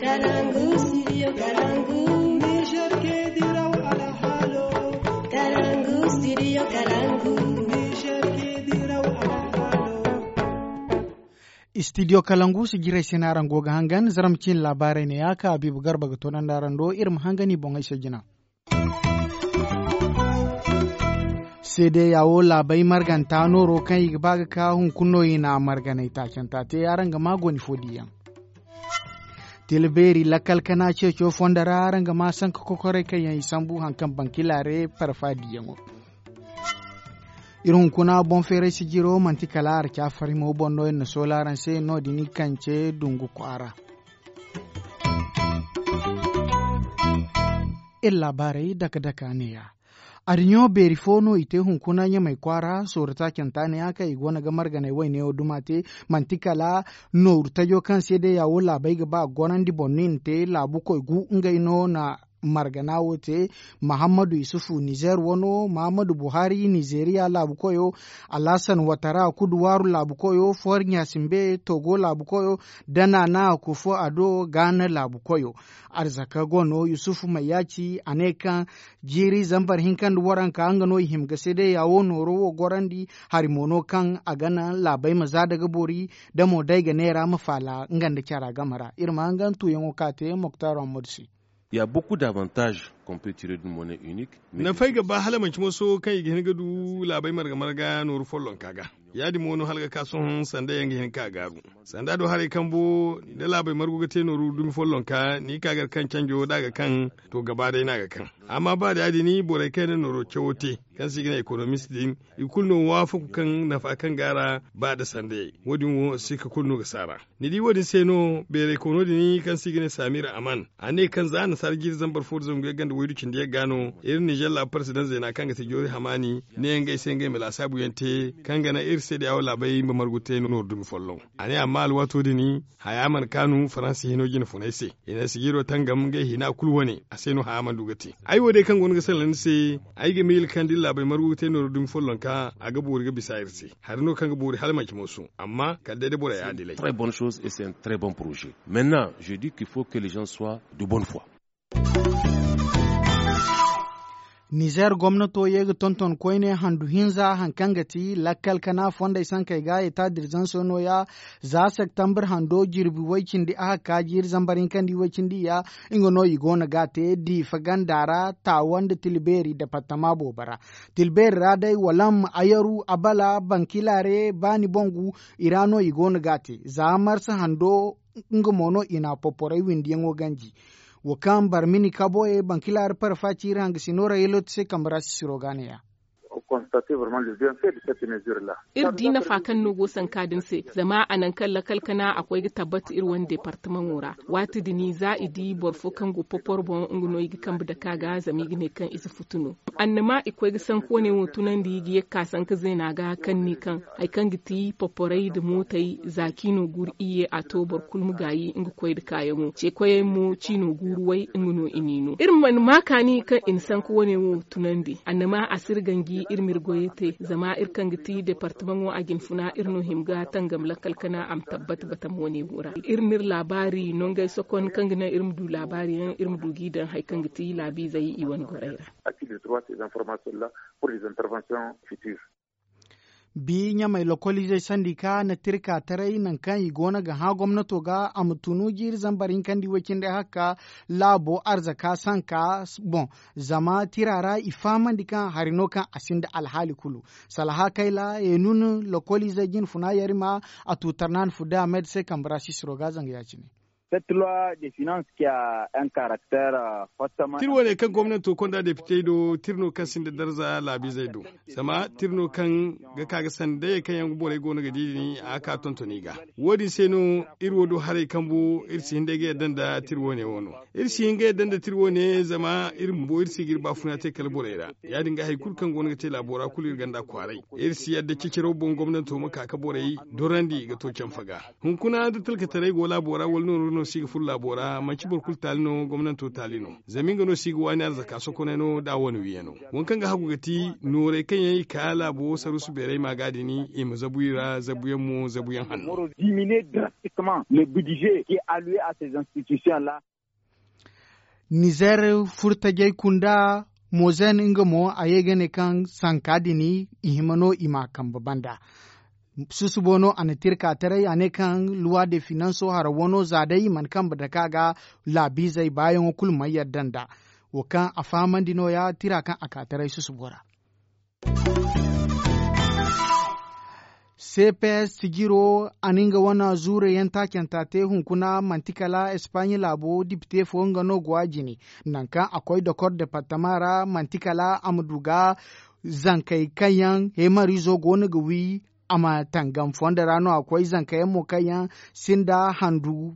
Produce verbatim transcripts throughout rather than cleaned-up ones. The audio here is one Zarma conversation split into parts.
Kalangu, studio Kalangu. Niger ke diraw alhalo. Kalangu, studio Kalangu. Niger ke diraw alhalo. Studio Kalangu si jiray se no araŋ go ga hangan, zarma ciine laabaarey ne ya ka Habiibu Garba ga toonandi araŋ do, iri ma hangan i boŋey se jina. Seedeya wo laabey marganta nooro kaŋ i ga ba ga ka hunkuna no i na marganay taacanta te araŋ ga ma goni fo diyaŋ. Tila beeri lakkal kana ceeco fondo ra araŋ ga ma sanka kokorey kaŋ yaŋ i sambu haŋ kaŋ bankilaare parfa diyaŋo. Iri hunkuna boŋ feeray sijiro manti kala arca farimo boŋ no iri na soola araŋ se no- din i kance dungu kwaara. Iri laabaarey dake dake a neeya. Adiɲo beeri fo no i te hunkuna ɲamay kwaara sooro taacanta neeya kaŋ i go no ga marganay wayne wo duma te. Manti kala nooru tajo kaŋ se day ya wo laabey ga ba gorandi boŋ no i na te laabukoy gu ngey no na margana wo te. Mahammadu yusufu nizer wano, mahammadu buhari nizeriya laabukoyo, alhasan watara kuduwaaru laabukoyo, fuwar ɲasimbe togo laabukoyo, da naana kufo ado gaana laabukoyo. Arzaka go no yusufu mayyaci a ne kaŋ jiiri zambar hinka nda waranka nga no i hima ga seedeya wo nooro wo gorandi. Hari mo no kaŋ a ga naŋ laabey ma za daga boori, da mo day ga neera ma faala nga nda cara game ra iri ma hangan tuuyaŋo ka te moktar ammadu se. Il y a beaucoup d'avantages qu'on peut tirer d'une monnaie unique. Nafay ga ba hala manci moso kaŋ i ga hin ga du laabey marga marga nooru follonka ga. Ya- din mo no hala ga ka sohõ sanda yaŋ ga hin ka gaaru. Sanda do haray kambo da laabey margu ga te nooru dumi follonka ni ka gar kaŋ canjo da a ga kaŋ, to gaba day no a ga kaŋ. Amma ba da ya- din borey kaŋ yaŋ na nooro cawo te, kaŋ se i ga ne ekonomist din, i kulu no waafaku kaŋ nafa kaŋ go a ra. Ba da sandayey wo- din wo sikka kulu no ga saara. Ni di wo- din se no beeray koono din kaŋ se i ga ne samir aman, a ne kaŋ za nasaara jiiri zambar fo da zangu yagga nda waydu cindi yagga no iri nizer laabu parsidaŋ zeena kaŋ ga ti joori hamaani ne ngey se ngey ma laasaabu yaŋ te, kaŋ ga naŋ iri se da yaawo laabey ma margu te nooru dumi folloŋ. A ne amma alwaato din haya mana kaanu faransa hino jine funay se. I na sijiro tangam ngey hina kulu wane a se no haya mana du ga te. Ay wo day kaŋ go no ga sallandi se, ay ga miila kaŋ da iri laabey margu ga te nooru dumi follonka a ga boori ga bisa iri se. Hari no kaŋ ga boori hala manci mooso amma kala day da borey adilay. Très bonne chose et c'est un très bon projet. Maintenant je dis qu'il faut que les gens soient de bonne foi. Nizer gomnato ye ga tonton koyne handu hinza haŋ kaŋ ga ti lakkal kana fondey sankey ga eta dirzanso nooya. Za septambur hando jirbi way cindi a hakka jiiri zambar hinka nda i way cindi ya. Nga no i go no ga a te diifa ganda ra taawa nda tilbeeri departama boobo ra. Tilbeeri ra day walam ayaru abala bankilaare baani boŋ gu. I ra no i go no ga a te za marsa hando nga mo no i na poporey windiyaŋo ganji. Wo kaŋ barmini kaboye bankilaare parfa ciiri hangasino ra yeloti se kambe ra sisiro ga neeya. Iri di nafa kaŋ no go sanka din se zama a naŋ kaŋ lakal kana a koy ga tabbat iri wane departamaŋo ra. Waati din za i di boro fo kaŋ go popor boŋ nga no i ga kambe dake a ga zama i ga ne kaŋ i si futu no. Annama i koy ga sanku wane wo tunandi ga ye ga ka sanka zeena ga kaŋ ni kaŋ hari kaŋ ga ti poporey nda mootey za ciino guuru iyye a to boro kulu ma gaayi nga koy nda kaayaŋo ce koyey mo ciino guuru way nga no i n'i no iri mana ma kaani kaŋ i na sanku wane wo tunandi annama a si iri ganji iri ma iri goyey te zama iri kaŋ ga ti departamaŋo a jinfuna iri no hima ga tangam lakkal kana a ma tabbat batama wane wo ra iri n'iri laabaari nongey sokon kaŋ ga naŋ iri ma du laabaari yaŋ iri ma du g'i daŋ hari kaŋ ga ti laabiizey i wane gorey ra. Bi ɲamey lokoliizey sandika na tirka taray nangu kaŋ i go no ga hã gomnato ga a ma tunu jiiri zambar hinka nda i way cindi hakka laabo arzaka sanka boŋ. Zama tira ra i fahamandi kaŋ hari no kaŋ a sinda alhaali kulu. Salaha kayla ye nuna lokoliizey jinfuna yarima a tu tarnaani fudda a may da se kambe ra sisiro ga zanga ya- cine. Tir wane kaŋ gomnanto konda depitey do tir no kaŋ sinda darza laabiizey do. Zama tir no kaŋ ga ka ga sanda dayey kaŋ yaŋ borey go no ga di din a ga ka tontoni ga. Wo- din se no iri wo du haray kambu iri si hin day ga yadda nda tir wane wo no. Iri si hin ga yadda nda tir wane zama iri bumbo iri si ga iri baafuna te kala borey ra. Ya- din ga hari kulu kaŋ go no ga te laabo ra kulu iri ganda kwaaray. Iri si yadda ciciraw boŋ gomnanto ma ka ga borey dorandi ga to canfa ga. Hunkuna da talkataray go laabo ra wala nooru no. Si ga furo laabo ra manti boro kulu taali no gomnanto taali no. Zama nga no si ga waani arzaka sokonay no da a wane wiyaŋo. Waŋ kaŋ ga hagu ga ti nooray kaŋ yaŋ i ka laabo saruusu beeray maaga din i ma zabu i ra zabuyaŋ mo zabuyaŋ hanno. Nizer furtajey kunda mozen nga mo a ye ga ne kaŋ sanka din i hima no i ma a kambe banda. Susubo no a na tirka taray a ne kaŋ luwa de finanso hara wano za day i mana kambe dake a ga laabiizey baayaŋo kulu mana yadda nd'a. Wo kaŋ a fahamandi no- ya tira kaŋ a ka taray susubo ra. Cps sijiro a na nga wane zuure yaŋ taacanta te hunkuna manti kala espaɲe laabo dipite fo nga no go a jine. Nangu kaŋ a koy dokor departama ra manti kala a ma du ga zankey kaŋ yaŋ heemariizo go no ga wi a ma tangam fondo ra no a koy zanka yaŋ mo kaŋ yaŋ sinda handu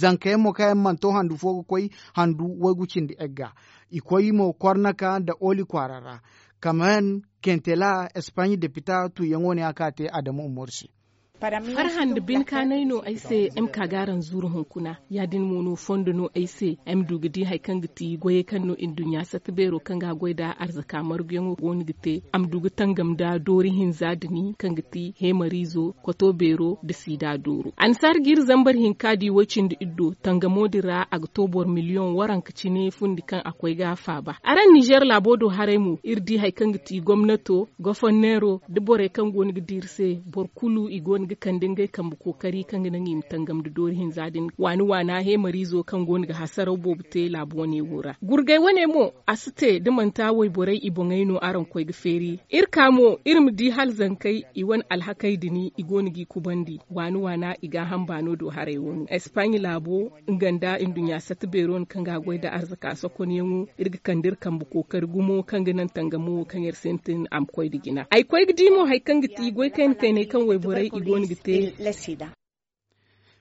zanka yaŋ mo kaŋ yaŋ mana to handu fo ga koy handu waygu cindi egga. I koy mo kornaka nda oli kwaara ra kaman kentela espaɲe depita tuuyaŋo ne a ka te adamu umaru se. Farhã nda binkaanay no ay se ay ma ka ga araŋ zuru hunkuna. Ya- din mo no fondo no ay se ay ma du ga di hari kaŋ ga ti goyey kaŋ no nduɲɲa satta beero kaŋ ga a goy nda arzaka marguyaŋo go no ga te a ma du ga tangam nda doori hinza din kaŋ ga ti heemariizo koto beero nda siida dooro. Annasaara ga iri zambar hinka di way cindi iddo tangamo din ra a ga to boro miliyoŋ waranka cine fundi kaŋ a koy ga a faaba araŋ nizer laabo do haray mo iri di hari kaŋ ga ti gomnato goforneero nda borey kaŋ go no ga di iri se boro kulu i go no ga kande ngey kambe kookari kaŋ ga naŋ i ma tangam nda doori hinza din waani waana heemariizo kaŋ go no ga hasaraw boobo te laabu wane wo ra gurgay wane mo a si te da manti wayborey i boŋey no araŋ koy ga feeri iri ka mo iri ma di hala zankey i wane alhakey din i go no g'i kubandi waani waana i gaaham baano do haray wano espaɲe laabo nga nda nduɲɲa satta beero no kaŋ ga a goy nda arzaka sokonyaŋo iri ga kande iri kambe kookari gumo kaŋ ga naŋ tangamo wo kaŋ iri sintin a ma koy nda jina ay koy ga di mo hari kaŋ ga ti goy kaynay kaŋ wayborey i go no ga te.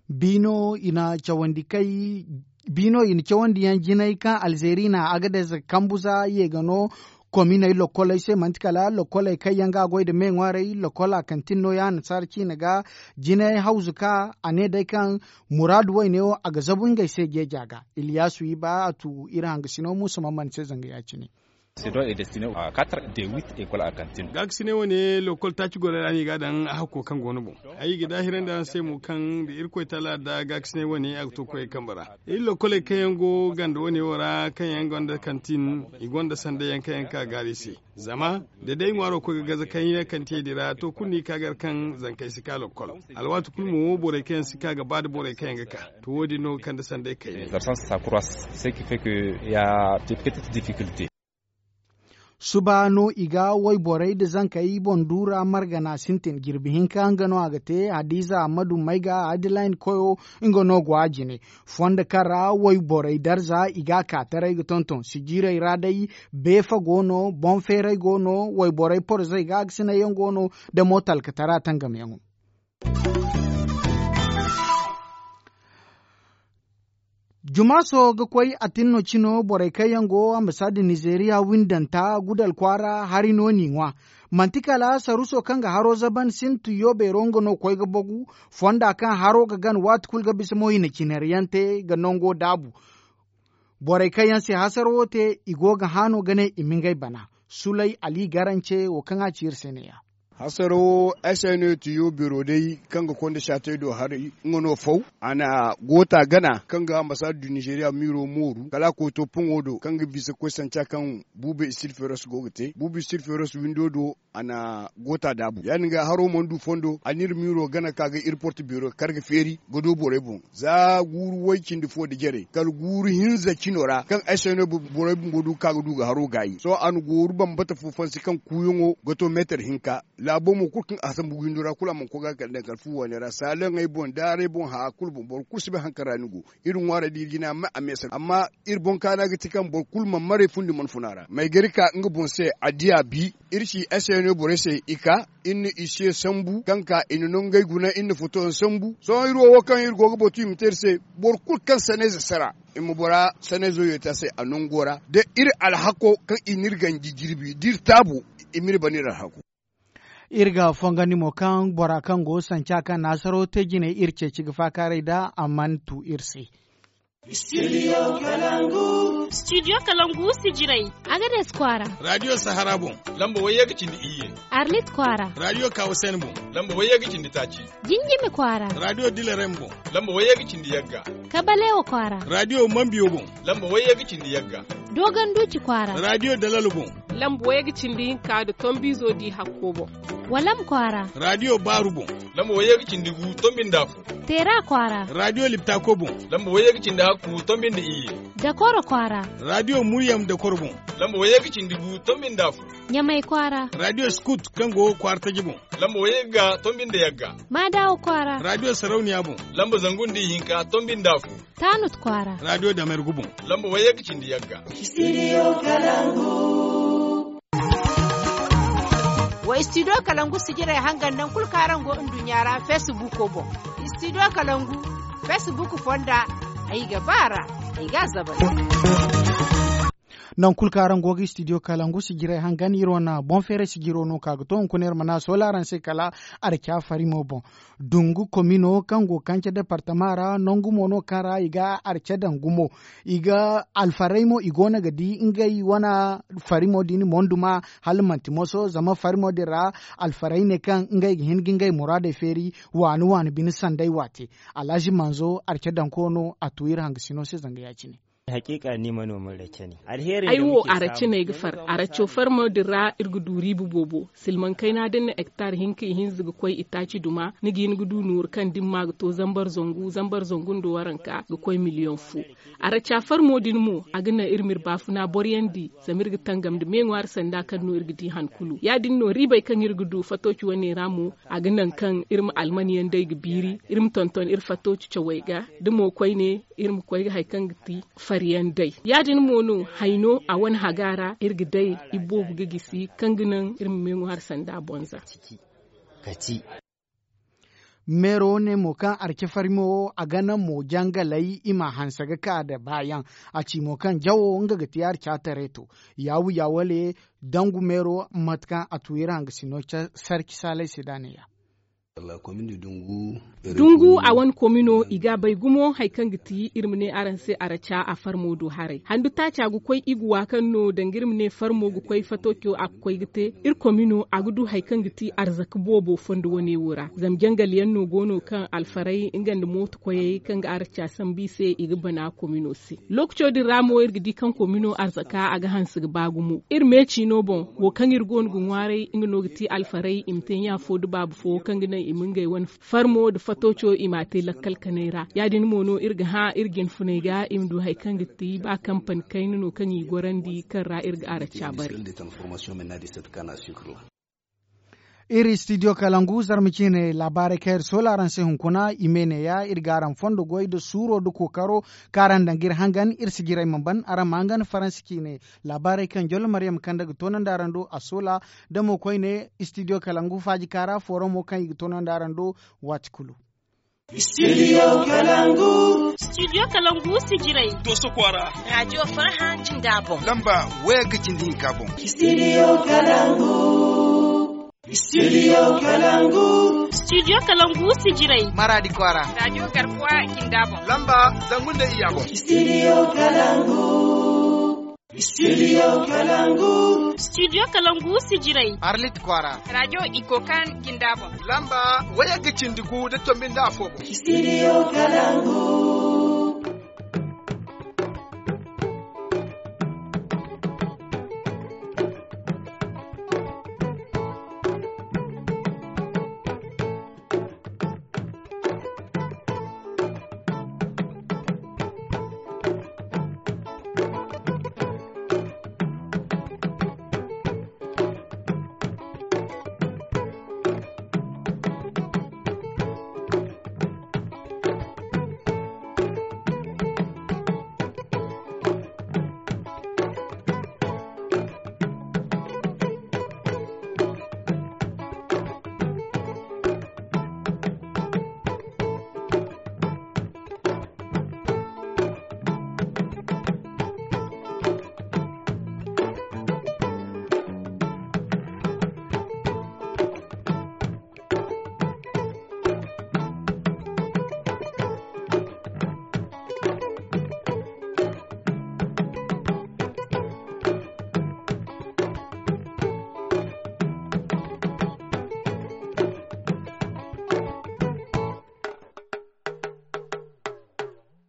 Biino i na cawandi kay biino i na cawandi yaŋ jinay kaŋ alzeeri na agadez kambuza ye ga no kominey lokkoley se manti kala lokkoley kaŋ yaŋ ga a goy nda me ŋwaaray lokkol a kantin no ya annasaara ciine ga jinay hawzu ka a ne day kaŋ muraadu wayne wo a ga zabu ngey se jeeja ga iliyasu i ba a tu iri hangasino muusa mamman se zanga ya- cine. Gaakasiney wane lokkol taaci gorey ra no i ga a daŋ a hakko kaŋ go no boŋ ay ga daahirandi araŋ se mo kaŋ da irkoy taala da gaakasiney wane a ga to koyey kambe ra iri lokkoley kaŋ yaŋ go ganda wane wo ra kaŋ yaŋ gonda kantin i gonda sanday yaŋ kaŋ yaŋ ga ka gaari se zama da day ŋwaaro koy ga gaza kaŋ yaŋ kantiyey din ra to kulu no i ka gar kaŋ zankey si ka lokkol alwaati kulu mo borey kaŋ yaŋ si ka ga ba nda borey kaŋ yaŋ ga ka to wo- din no ga kande sanday kayna. Suba no i ga wayborey nda zankey boŋ duura margana sintin jirbi hinka nga no a ga te hadiza ammadu mayga adline koyo nga no go a jine fondo kaŋ ra wayborey darza i ga a ka taray ga tonton sijiirey ra day beefa go no boŋ feeray go no wayborey porzey ga a ga sinay yaŋ go no nda mo talkatara tangamyaŋo. Jumaaso ga koy atinno cino borey kaŋ yaŋ go ambasaada nizeeriya windanta gudal kwaara hari no n'i ŋwa. Manti kala saruso kaŋ ga haro zaban sintu yoobeero nga no koy ga bogu fonda kaŋ haro ga gan waati kulu ga bisa mo i na cinaryaŋ te ga nango daabu. Borey kaŋ yaŋ se hasaro wo te i go ga haano ga ne i ma ngey bana. Sulay ali garance wo kaŋ a ci iri se neeya. Hasaro wo ay se no ti yo biro day kaŋ ga konda saatey do haray nga no faw a na goota gana kaŋ ga ambasaada du nizeeriya miiro mooru kala a koy to poŋo do kaŋ ga bisa koy sanca kaŋ buuba istirferos go ga te buuba istirferos windo do a na goota daabu ya- din ga haro mana du fondo a na iri miiro gana ka ga iri porto beero kar ga feeri ga do borey boŋ za guuru way cindi fo nda jarey kala guuru hinza cino ra kaŋ ay se no borey bumbo du ga ka ga du ga haro gaayi sohõ a na gooru bambata fo fansi kaŋ kuuyaŋo ga to meetar hinka. Laabo mo kulu kaŋ a sambu windo ra kulu a mana koy ga kala daŋ kala fu waaney ra saalaŋey boŋ daarey boŋ haya kulu boŋ boro kulu si bay haŋ kaŋ ra ni go. Iri ŋwaarey da iri jina a me a meesa amma iri boŋ kaana ga ti kaŋ boro kulu mana maray fundi mana fun a ra maygari ka nga boŋ se a di a bi. Iri ci ay se no borey se i ka iri na i se sambu kaŋ ka i na nongey guna iri na foto yaŋ sambu sohõ iri wo wo kaŋ iri go ga batu i ma te iri se. Boro kulu kaŋ sanayze sara i ma bora sanayzo yeeti a se a nango ra da iri alhako kaŋ i n'iri ganji jirbi da iri taabu i m'iri ban iri alhako. Iri ga fongandi mo kaŋ bora kaŋ go sanca kaŋ naasaro te jinay iri ceeci ga faakaaray nd'a a mana tu iri se. Studio kalangu sijiray. Agades kwaara. Radio sahara boŋ. Lamba wayye ga cindi iyye. Arlit kwaara. Radio kawasen boŋ. Lamba wayye ga cindi taaci. Jinjimi kwaara. Radio dilarem boŋ. Lamba wayye ga cindi yagga. Kabalewa kwaara. Radio mambiyo boŋ. Lamba wayye ga cindi yagga. Dogon duci kwaara. Radio dalalo boŋ. Lamba wayye ga cindi hinka da tombizo di hakko boŋ. Walam kwaara. Radio baaru boŋ. Lamba wayye ga cindi gu tombi nda fu. Teera kwaara. Radio liptako boŋ. Lamba wayye ga cindi hakku tombi nda iyye. Dakoro kwaara. Radio muryam dakoro boŋ. Lamba wayye ga cindi gu tombi nda fu. Ɲamay kwaara. Radio skut kaŋ go kwaara taji boŋ. Lamba wayye ga tombi nda yagga. Maadawa kwaara. Radio sarauniya boŋ. Lamba zangu nda ihinka tombi nda fu. Taanut kwaara. Radio damergu boŋ. Lamba wayye ga cindi yagga. Wa studio kalangu sijiray hangan naŋ kulu kaŋ araŋ go nduɲɲa ra facebook boŋ. Studio kalangu facebook fonda. Ay ga baara. Ay ga zabar. Naŋ kulu kaŋ araŋ go ga studio kalangu sijiray hangan iri wane boŋ feeray sijiro no ka ga to hunkuna iri mana soola araŋ se kala arca farimo boŋ. Dungu komino kaŋ go kance departama ra nangu mo no kaŋ ra i ga arca daŋ gumo. I ga alfaray mo i go no ga di ngey wane farimo din monduma hala manti moso zama farimo din ra alfaray ne kaŋ ngey ga hin ga ngey muraadey feeri waani waani bine sanday waate. Alhazi manzo arca daŋko no a tu iri hangasino se zanga ya- cine. Hakiika ni manomin rake ne. Alheri ay wo arace no ay ga far araco farmo din ra iri ga du riiba boobo. Silmaŋ kayna da ni na hektar hinka ihinza ga koy itaaci duma ni ga hin ga du nooru kaŋ da ni ma ga to zambar zangu zambar zangu nda waranka ga koy miliyoŋ fo. Araca farmo din mo a ga naŋ iri ma iri baafuna boryandi zama iri ga tangam nda me ŋwaari sanda kaŋ no iri ga di han kulu ya- din no riibey kaŋ iri ga du fatooci wane ra mo a ga naŋ kaŋ iri ma alman yaŋ day ga biiri iri ma tonton iri fatooci cawey ga da mo koyne iri ma koy ga hari kaŋ ga ti fari yaŋ day. Ya- din mo no hayno a wane haga ra iri ga day iboobo ga gisi kaŋ ga naŋ iri ma me ŋwaari sanda bonza. Meero ne mo kaŋ arce farimo wo a ga naŋ mo jangalay i ma hanse ga ka da baayaŋ. A ci mo kaŋ jawo nga ga ti arca tareeto yaawu yaawale dangu meero mate kaŋ a tu iri hangasino sarci saalay se da a ne ya. Dungu a wane komino i ga a bay gumo hari kaŋ ga ti iri ma ne araŋ se araca a farmo do haray handu taaca ga koy iguwa kaŋ no danga iri ma ne farmo ga koy fatooco a ga koy ga te iri komino a ga du hari kaŋ ga ti arzaka boobo fondo wane wo ra zama jangal yaŋ no go no kaŋ alfaray nga nda mooto koyey kaŋ ga araca sambu i se i ga bana komino se. Lookaco din ra mo iri ga di kaŋ komino arzaka a ga hanse ga ba gumo iri me ciino boŋ wo kaŋ iri go no ga ŋwaaray nga no ga ti alfaray i ma te ɲa fo da baaba fo kaŋ ga naŋ i ma ngey wane farmo nda fatooco i m'a te lakkal kanay ra ya- din mo no iri ga hã iri jinfuney ga i ma du hari kaŋ ga ti ba kampani kayna no kaŋ i gorandi kaŋ ra iri ga araca bare. Iri studio kalangu zarma ciine laabaarey kaŋ iri soola araŋ se hunkuna i me neeya iri ga araŋ fondo goy nda suuro nda kookaro kaŋ araŋ daŋ ga iri hangan iri si jiray ma ban araŋ ma hangan faransi ciine. Laabaarey kaŋ jollo maryam kande ga toonandi araŋ do a soola da mo koyne studio kalangu faaji kaara fooramo kaŋ i ga toonandi araŋ do waati kulu. Studio kalangu. Studio kalangu sijiray. Doso kwaara. Radiyo farha jinda boŋ lamba waya ga cindi hinka boŋ. Studio kalangu. Studio kalangu. Studio kalangu sijiray. Maradi kwaara. Radiyo garkuwa jinda boŋ lamba zangu nda iyya boŋ. Studio kalangu. Studio kalangu. Studio kalangu sijiray. Arlit kwaara. Radiyo ikokan jinda boŋ lamba waya ga cindi gu da tombi nda afo boŋ. Studio kalangu.